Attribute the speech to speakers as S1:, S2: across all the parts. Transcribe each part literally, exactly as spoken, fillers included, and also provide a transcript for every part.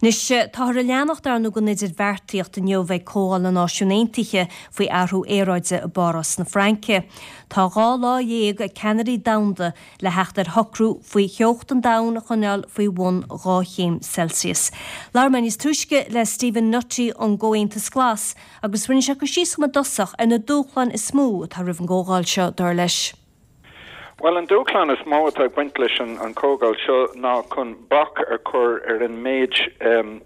S1: Anois, táthar ag leanacht ar ndóigh den idirbheartaíocht inniu ag Comhdháil na Náisiún Aontaithe faoi athrú aeráide i bPáras na Fraince. Tá dhá lá dhéag ag ceannairí domhanda le theacht ar shocrú faoi theocht an domhain a choinneáil faoi bhun dhá chéim Celsius. Labhair mé níos túisce le Stephen Nutty ón gComhaontas Glas agus rinne sé cur síos i dtosach ar na dúshláin is mó atá roimh an gcomhdháil seo dar leis.
S2: Well an dúshlán is mó atá ag baint leis an, an chomhdháil seo ná chun bac a chur ar an méid um,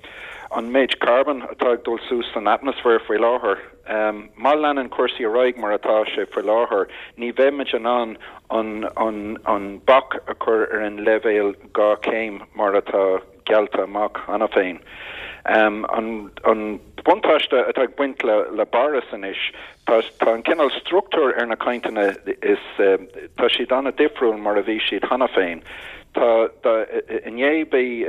S2: an méid carbon atá ag dul suas san atmaisféar faoi láthair. Um, má leanann cúrsaí ar aghaidh mar atá sé faoi láthair, ní bheimid in ann an, an, an bac a chur ar an leibhéal dhá chéim mar atá geallta amach cheana féin. Um, an, an buntáiste atá ag baint le, le Páras anois tá, tá an cineál struchtúr ar na cainteanna is um, tá siad an-difriúil mar a bhí siad cheana féin. Tá inné bhí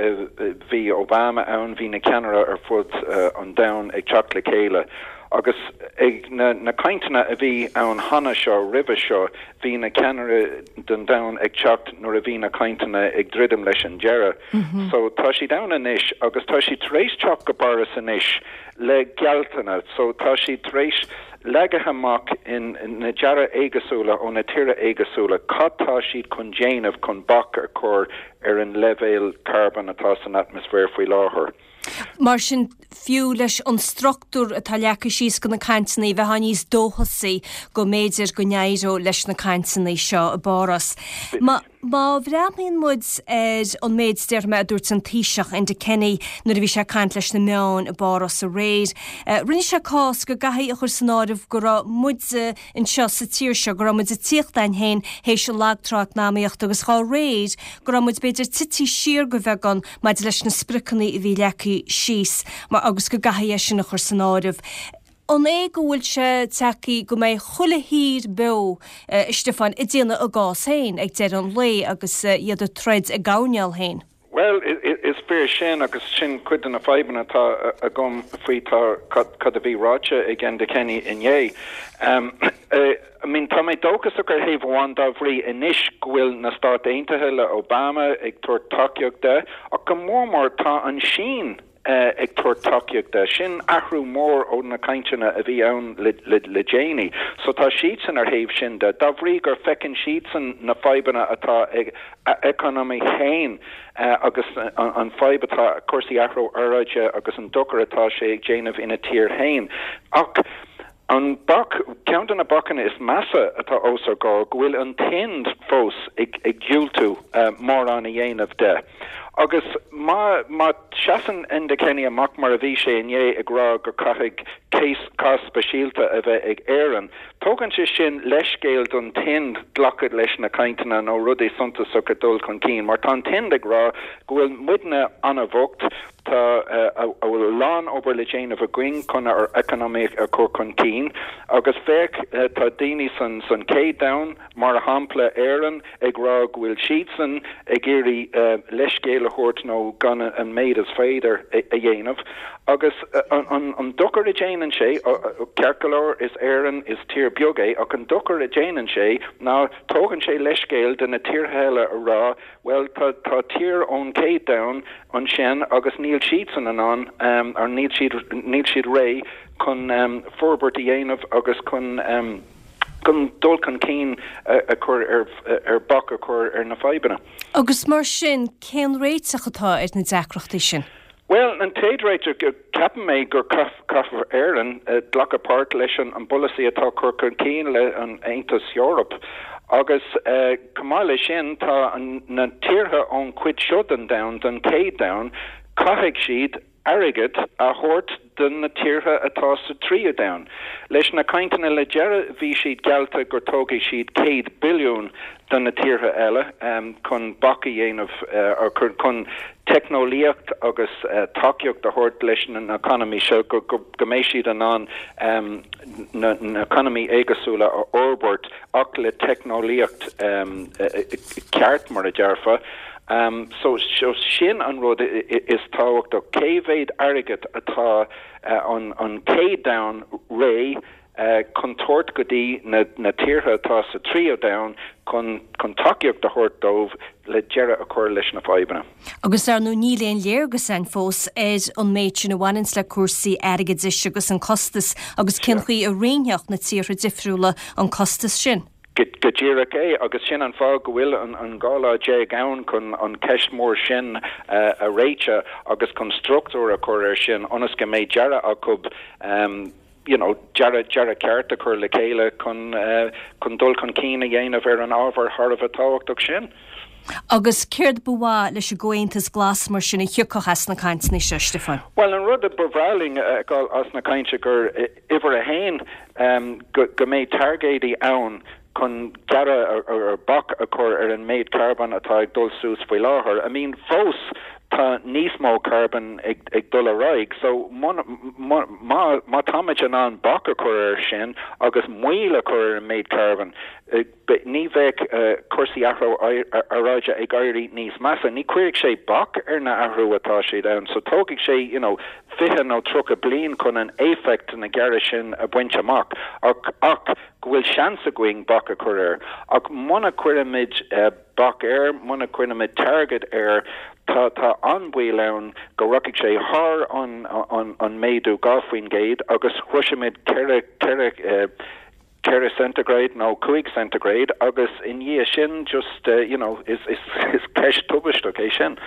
S2: bhí Obama ann bhí na ceannairí ar fud uh, an domhain ag teacht le chéile. agus ag na, na cainteanna a bhí ann cheana seo roimhe seo bhí na ceannairí den domhan ag teacht nuair a bhí na cainteanna ag druidim leis an deireadh. Mm -hmm. So tá siad ann anois agus tá siad tar éis teacht go Páras anois le gealltanna, so tá siad tar éis leagadh amach in, in na dearcadh éagsúla ó na tíortha éagsúla, cad tá siad chun déanamh chun bac a chur ar an leibhéal carbon atá san atmaisféar faoi láthair.
S1: Mar sin fiú leis an struchtúr atá leagtha síos do na cainteanna bheith níos dóchasaí go mb'fhéidir go n-éireoidh leis na cainteanna seo i bPáras. Má Má bhreathnaíonn muid ar an méid déarfaidh mé a dúirt an Taoiseach Enda Kenny nuair a bhí sé ag caint leis na meáin i bPáras aréir. Uh, rinne sé cás go gcaithfí a chur san áireamh go raibh muid anseo sa tír seo go raibh muid ag tíocht ann féin théis an lagtrá eacnamaíochta agus dá réir go raibh muid b'fhéidir tite siar go beagán maidir leis na spriocanna a bhí leagtha síos mar agus go gcaithfí é sin a chur san áireamh. An é go bhfuil sé tagtha go mbeidh chuile thír beo uh, Stiofán ag déanamh a gcás féin ag deireadh an lae agus uh, iad ag troid a gcoinne féin.
S2: Well is fíor sin agus sin cuid de na fadhbanna atá agam faoi tá cad a bhí ráite ag Enda Kenny inné. Um, uh, I mean tá mé dóchasach ar thaobh amháin dá bhrí anois go bhfuil na Stáit Aontaithe le Obama ag tabhairt tacaíocht de ach go mór mór tá an Sín uh, ag tabhairt tacaíocht de sin athrú mór ó na cainteanna a bhí ann le, le, le déanaí. So tá siadsan ar thaobh sin de dá bhrí gur feiceann siadsan na fadhbanna atá ag economy féin uh, agus an, an fadhb atá cúrsaí athrú aeráide agus an dochar atá sé ag déanamh ina tír féin. Ach An bac ceann de na bacanna is measa atá os ár gcomhair go bhfuil an tInd fós ag, ag diúltú uh, mórán a dhéanamh de. Agus má má seasann Enda Kenny amach mar a bhí sé inné ag rá go caithfidh cés cás speisialta a bheith ag Éirinn. Tógann sé sin leithscéal don tInd glacadh leis na cainteanna nó rudaí suntasach a dul chun cinn, mar tá an tInd ag rá go bhfuil muidne an-bhocht tá uh, a bhfuil lán obair le déanamh againn chun ár economy a chur chun cinn agus féach uh, tá daoine san san chéad domhan mar shampla Éirinn ag rá go bhfuil siadsan ag iarraidh uh, leithscéal a thabhairt nó gan an méid is féidir a, a dhéanamh agus uh, an, an, an dochar a déanann sé ceart go leor is Éirinn is tír beag é ach an dochar a déanann sé ná tógann sé leithscéal de na tíortha eile a rá well tá tá tír ón chéad domhan ansin agus níl siadsan in ann um, ar níl siad níl siad réidh chun um, forbairt a dhéanamh agus chun um, chun dul chun cinn a chur ar ar bac a chur ar na fadhbanna.
S1: Agus mar sin cén réiteach atá ar na deacrachtaí sin.
S2: Well an t-aon réiteach ceapaim mé gur caithfidh Éirinn uh, glacadh páirt leis an an bpolasaí atá chur chun cinn le an Aontas Eorpach. Agus uh, chomh maith leis sin tá na tíortha ón chuid seo den domhan den chéad domhan caithfidh siad airgead a thabhairt do na tíortha atá sa tríú domhan. Leis na cainteanna le deireadh bhí siad geallta gur tógfaidh siad céad billiún do na tíortha eile um, chun bac a dhéanamh uh, chun teicneolaíocht agus uh, tacaíocht a thabhairt leis na economy seo go, go, go mbeidh siad in ann um, na, na economy éagsúla a fhorbairt ach le teicneolaíocht um, ceart mar a déarfá. Um, so, so sin an rud is tábhachtach cé mhéad airgead atá uh, an, an chéad domhan réidh chun tabhairt go dtí na na tíortha atá sa tríú domhan chun chun tacaíocht a thabhairt dóibh le deireadh a chur leis na fadhbanna.
S1: Agus ar ndóigh níl aon léargas ann fós ar an méid sin a bhaineanns le cúrsaí airgeadais agus an costas agus cén chaoi a roinnfeadh na tíortha difriúla an costas sin.
S2: Go díreach é agus sin an fáth go bhfuil an an dhá lá déag ann chun an ceist mór sin a réiteach agus chun struchtúr a chur air sin ionas go mbeidh dearadh acu um, you know, dearadh dearadh ceart a chur le chéile chun uh, chun dul chun cinn a dhéanamh ar an ábhar thar a bheith tábhachtach sin.
S1: Agus céard ba mhaith leis an gComhaontas Glas mar sin a thiocfadh as na cainteanna seo Stiofán.
S2: Well an rud a ba bhreá linn as na cainte gur uimhir a haon um, go, go mbeidh targaidí ann chun deireadh ar bac a chur ar an méid carbón atá ag dul suas faoi láthair. I mean fós tá níos mó carbón ag, ag dul ar aghaidh, so má má táimid in ann bac a chur air sin agus moill a chur ar an méid carbón, ní bheidh uh, cúrsaí athrú aeráide ag éirí níos measa. Ní chuirfidh sé bac ar na athrú atá siad ann, so tógfaidh sé you know, fiche nó tríocha bliain chun an éifeacht na gearradh sin a bhaint amach ach ach go bhfuil seans againn bac a chur air. Ach muna gcuirimid uh, bac air, muna gcuirimid target air, tá tá an baol ann go rachaidh sé thar an an an méadú dhá faoin gcéad agus shroisfimid ceithre ceithre uh, ceithre centigrade nó cúig centigrade agus i ndiaidh sin just uh, you know is is is ceist tubaisteach é sin.